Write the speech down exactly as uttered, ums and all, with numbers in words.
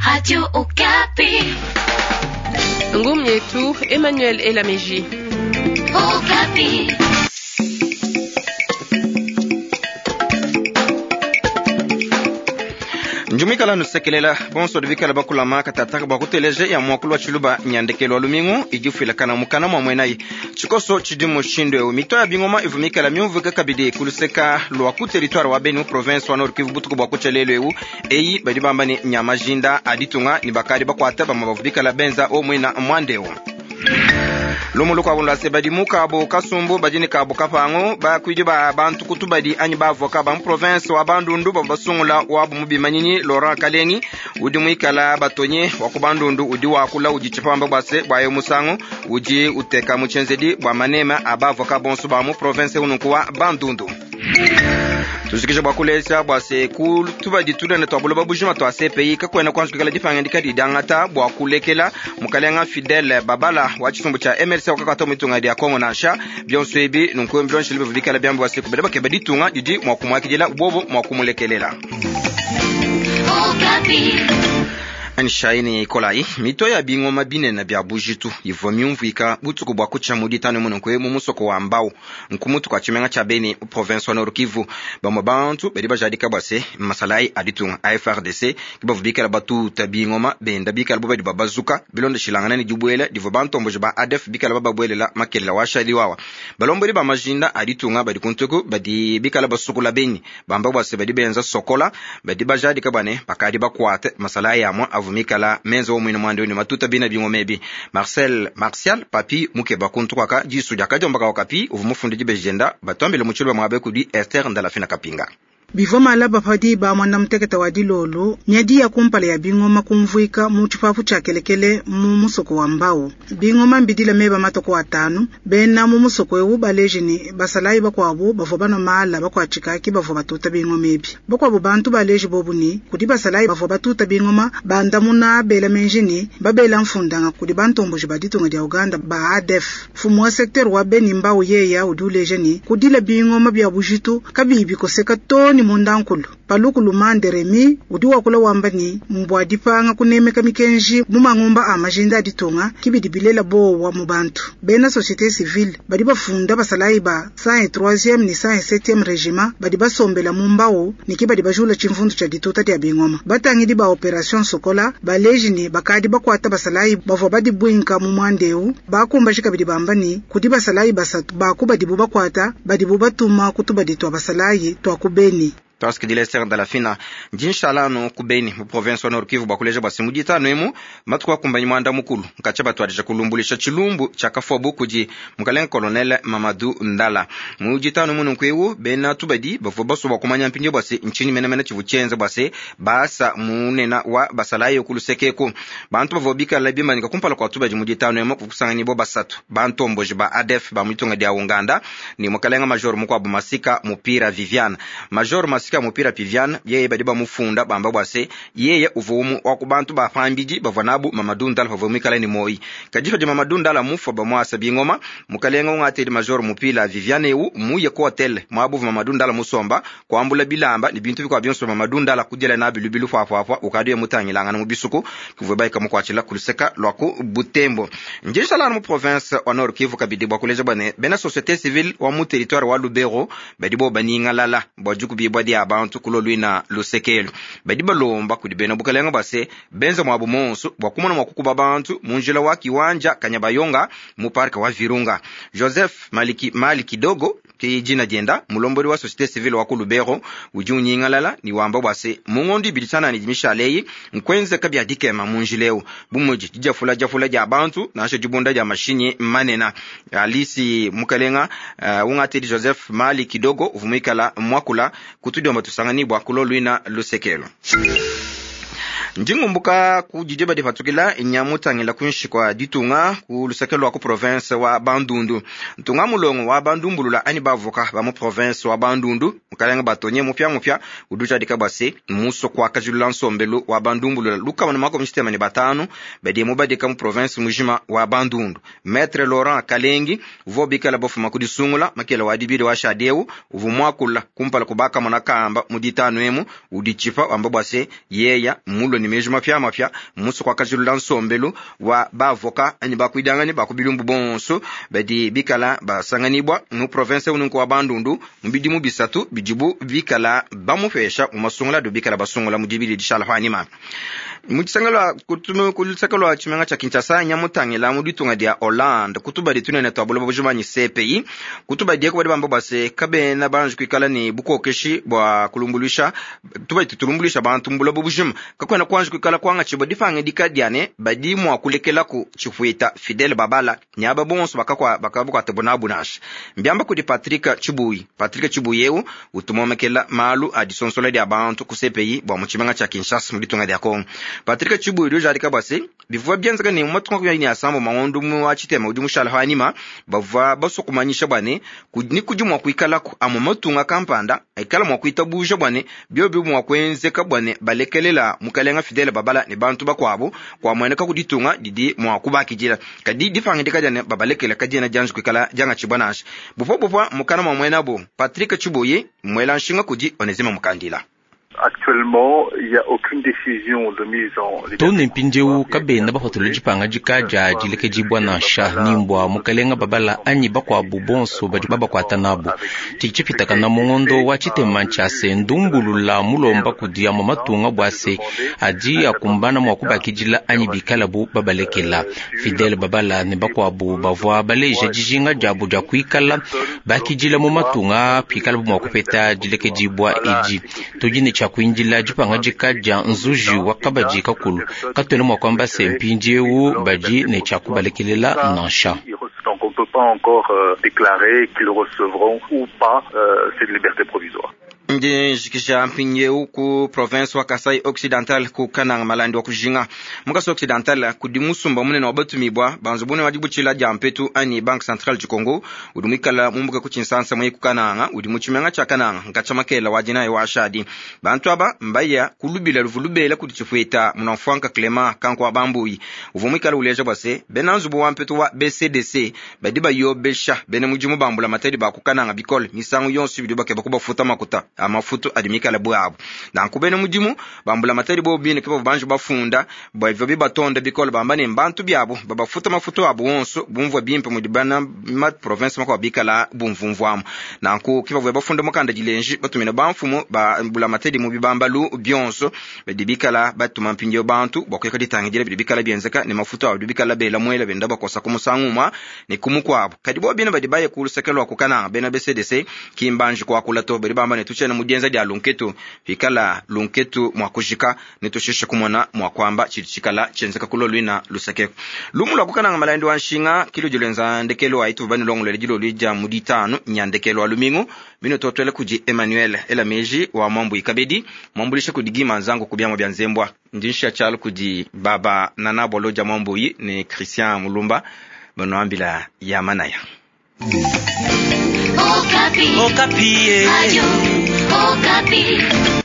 Radio Okapi. Ngumu yetu Emmanuel Elameji. Okapi. Njumikala nusekelela bonso divikala bakulama katataka bua kuteleja ya muakulu wa tshiluba nyandekelo wa lumingu idifuilakana mukana mua muenayi tshikoso tshidi mushindu eu mito ya bingoma ivumikala miumvuike kabidi kuluseka lua ku territoire wa Beni mu province wa Nord Kivu butuku bua kutshia lelu eu eyi badi bamba ne nyamajinda aditunga ni bakadi bakuata bamue bavubikala benza o muina muandeu lumu lukuabu lua badi mu kabo kasumbu badi ne kabo kapangu bakuidi ba bantu kutubadi anyi bavoka ba mu province wa Bandundu bavua basungula wabu mu bimanyinyi Laurent Kalengi udi muikala batonye wa ku Bandundu udi wakula udi tshipamba bua se bua yo musangu udi uteka mu tshienzedi bua manema a bavoka bonso ba mu province ununku wa Bandundu. Tuzikisha bua kulesa bua se ku tubadi tunene tua buloba bujima tua C P I kakuena kuanzukikala dipangandika didangata bua kulekela mukalenga Fidel Babala wa tshisumbu tshia M L C wakakata mu ditunga dia Kongo nansha bionso ebi nunku mbilonshile bivu bikala biambi bua se kubela bakeba ditunga didi mua kumuakidila bobo mua kumulekelela. Anishaini Nikolai mito ya bingoma binene bya bujitu ivua miumvuika butuku bua kutshia mu ditanu mununku mu musoko wa Mbau nkumutu kwa tshimenga tshia Beni province wa Nord Kivu bamue bantu badi bajadika bua se masalayi a ditunga a F R D C ke bavua bikala batuta bingoma benda bikala bo badi babazuka bilondeshilangana ne dibuela divua bantomboji ba A D F bikala bababuelela makelela wa shali wawa balombodi ba majinda a ditunga badi kuntuku badi bikala basukula Beni bamba bua se badi benza sokola badi bajadika bua ne bakadi bakuate masalayi amue avumikala menzo wa mwina mwande ni matuta bina bingoma ebi Marcel Martial Papi mukeba kuntu kwaka jisu jakajomba ka kapi uvu mufundi jibejenda batwambile muchulu mwabe kudi Esther Ndalafina Kapinga. Bivua malaba padi ba mwana muteketa wa dilolo miadi ya kumpala ya bingoma kumvuika mu tshipapu tshia kelekele mu musoko wa Mbau bingoma mbidila meba matoko atanu bena mu musoko ewu baleji ni basalayi bakuabu bavua banwa mala bakuatshikaki bavua batuta bingoma ebi bakuabu bantu baleji bobu ni kudi basalayi bavua batuta bingoma bandamuna bela menji babela mfundanga kudi bantomboji ba ditunga dia Uganda ba A D F mfumu wa secteur wa Beni Mbau yeya udi uleja ni kudila bingoma bya bujitu kabibi koseka to ni mundankulu paluku lumande Remi udi wakula wamba ni mbwa dipanga kunemeka mikenji mu mangumba a majinda aditunga kibidi bilela bowa mu bantu bena société civile badi bafunda basalayi ba cent et troisième ni cent et septième régiment badi basombela mu mbao ni kibadi bajula tshimvundu tshia dituta dia bingoma batangidi ba opération Sokola baleji ni bakadi bakwata basalayi bavua badi bwinka mu mwandeu bakumbashi kabidi bamba ni kudi basalayi basatu bakuba dibu bakwata badibu batuma kutubadi twa basalayi twa kubeni. Task di Lester Ndalafina jinshalano ku Beni mu province wa Nord Kivu bakuleja bwa simu ditano emu matuku akumbanyi mwanda mukulu nkacha batwadija kulumbulisha tshilumbu tshia kafuabu kudi mukalenga colonel Mamadou Ndala mu ditano munu nkwewu bena tubadi bavua baso bakumanya mpindio bwa se nchini menemene tshivu tshienza bwa se basa munena wa basalayi kulusekeko bantu bavua bikala bimanyika kumpala kwa tubadi mu ditano emu kukusanganyibwa basatu bantomboji ba A D F ba muitunga dia Uganda ni mukalenga major mukwabu Masika Mupira Viviane major Masika Mupira Viviane yeye badi bamufunda bamba bwa se yeye uvumu wa kubantu ba pambidi bavua nabu Mamadou Ndala bavua mwikala ni moi kadifa di Mamadou Ndala mufa bamwasa bingoma mukalenga ungatedi major Mupira Viviane eu muye ku hotel mwabuvu Mamadou Ndala musomba kwambula bilamba ni bintu bikwa byonso Mamadou Ndala kudila na bilubilu fwafwafwa ukadiye mutangilangana mu bisuku kuvwe baika mukwachila kuluseka lwa ku Butembo njeshala mu province wa Nord Kivu kabidi bwa kuleja bwane bena société civile wa mu territoire wa Lubero badi bo baningalala bwa jukubi bwa dia bantu kulolwina lusekelo badi balomba kudi bena bukalenga base benza mwabu monso bwa kumona mwa kukuba bantu munjila wa kiwanja Kanyabayonga mu park wa Virunga Joseph Maliki Maliki Dogo ki jina jenda mulomboli wa société civile wa ku Lubero udi unyingalala ni wamba bwase mungondi biditsana ni dimishaleyi nkwenze kabya dikema munjileo bumuji dijafula jafula ja bantu nasho jibunda ja mashinyi manena Alisi mukalenga uh, ungatedi Joseph Maliki Dogo uvumikala mwakula kutudiwa matusangani bwa kulolwina lusekelo. Ndingumbuka ku didie badi patukila inyamutangila kunshi kwa ditunga ku luseke lwa ku province wa Bandundu ntunga mulongo wa bandumbulula ani bavoka ba mu province wa Bandundu mukalenga batonye mupya mupya uduja dikabase muso kwa kajulula nsombelu wa bandumbulula lukama na makumi sitema ni batanu badi mubadika mu province mujima wa Bandundu Maître Laurent Kalengi uvo bikala bofuma kudisungula makela wa dibidi wa shadeu uvu mwakula kumpala kubaka mwana kamba muditanu emu udichipa wamba bwase yeya mulo ni ne meji mapiamapia mmusu kuakajilula nsombelu wa baavoka anyi bakuidangane bakubilumbu bonso badi bikala basanganibwa mu province ununku wa Bandundu mu bidimu bisatu bidibu bikala bamupesha mu masungula adi bikala basungula mu dibili dishala panima. Mu tshisangalo ku luseke lwa tshimenga tshia Kinshasa nyamutangila mu ditunga dia Hollande kutubadi tunene twa buloba bujimanyi C P I kutubadi eko badi bamba bua se kabena banji kuikala ne bukokeshi bua kulumbuluisha tubadi tutulumbuluisha bantu mu buloba bujima kakwena kwanji kuikala kuangatshibua dipangidika diane badi mua kulekelaku tshifuita Fidel Babala nyaba bonso bakakwa bakabukwate bunabu nansha mbiamba kudi Patrick Tshibuyi. Patrick Tshibuyi eu utumomekela malu a disonsola dia bantu ku C P I bua mu tshimenga tshia Kinshasa mu ditunga dia Congo. Patrick Tshibuyi udi ujadika bua se bivua bienzeka ne mu matuku makumi asambo mangondu mu wa tshitema udi mushala panima bavua basua kumanyisha bua ne ni kudi mua kuikalaku amwe matunga kampanda ikala mua kuitabuja bua ne biobi mua kuenzeka bua ne balekelela mukalenga Fidel Babala ne bantu bakuabu kuamueneka ku ditunga didi mua kubakidila kadi dipangidika dia ne babalekela kadiena dianji kuikala diangatshibua nansha bupwa bupwa mukana mua muenabo Patrick Tshibuyi muela nshinga kudi Onesime Mukandila. Actuellement, il n'y a aucune décision de mise en tone mpindieu kabena bapatula dipangadika dia dilekedibua nansha nimbwa mukalenga Babala anyi bakuabu bonso badi babakuata nabo. Tshidi tshipitakana mu ngondo wa tshitema tshia se ndumbulula mulomba kudi amwe matunga bua se adi akumbana mua kubakidila anyi bikalabu babalekela. Fidel Babala ne bakuabu bavua baleja dijinga diabu dia kuikala bakidila mu matunga pikalabu mua kupeta dilekedibua edi. Tudi ne tshia kuindila dipangadika dia nzuji wa kabadi kakulu katuena mua kuamba se mpindieu badi ne tshia kubalekelela nansha. Donc on ne peut pas encore euh, déclarer qu'ils recevront ou pas euh, cette liberté provisoire. Ndi njikisha mpindieu ku province wa Kasai Occidental ku Kananga malandi wa kujinga mu Kasai Occidental kudi musumba munene wa batumibwa banzu bune wa dibutshila dia mpetu anyi Banque Centrale du Congo udi muikala mumbuka ku Tshinsansa muyi ku Kananga udi mu tshimenga tshia Kananga nkatshia makela wa dinayi wa ashadi bantu aba mbaya kulubila luvu lubela kudi tshifuita munamfuanka Clement kanku wa bambuyi uvua muikala uleja bua se bena nzubu wa mpetu wa B C D C badi bayobesha bena mudimu bambula matadi ba ku Kananga bikole misangu yonso bidi bakeba kubafuta makuta amafutu adi mikala bwabo nanku bena mudimu bambula matadi bo bine ke banji bafunda bwa bibatonda bikole bamba ne mbantu byabo babafuta mafutu abo wonso bumvwa bimpe mudi bana ma province makwa bikala bumvumvwamo nanku ke bavua bafunda mukanda dilenji batumina bamfumu bambula matadi mu bibambalu byonso badi bikala batuma mpindieu bantu bwa kuyaka ditangidila bidi bikala byenzeka ne mafutu abo bikala bela mwela benda bakosa ku musangu umwa ne kumukwabo kadi bo bine badi baye ku luseke lwa kukananga bena B C D C kimbanji kwakula to badi bamba ne tuchena mudienza dia lunketu pikala lunketu mwakujika nitusheshe kumona mwakwamba chili chikala chenzeka kulo lwina luseke lumu lwa kukananga malandi wa nshinga kilo jilenza ndekelo aitu bani longolele jilo lija muditano nyandekelo alumingu mino totwele kuji Emmanuel Elameji wa mwambu ikabedi mwambulishe kudigima nzangu kubyamo bya nzembwa ndinsha chalo kudi baba nana boloja mwambu yi ne Christian Mulumba banoambila ya manaya. Okapi. Okapi. Radio Okapi.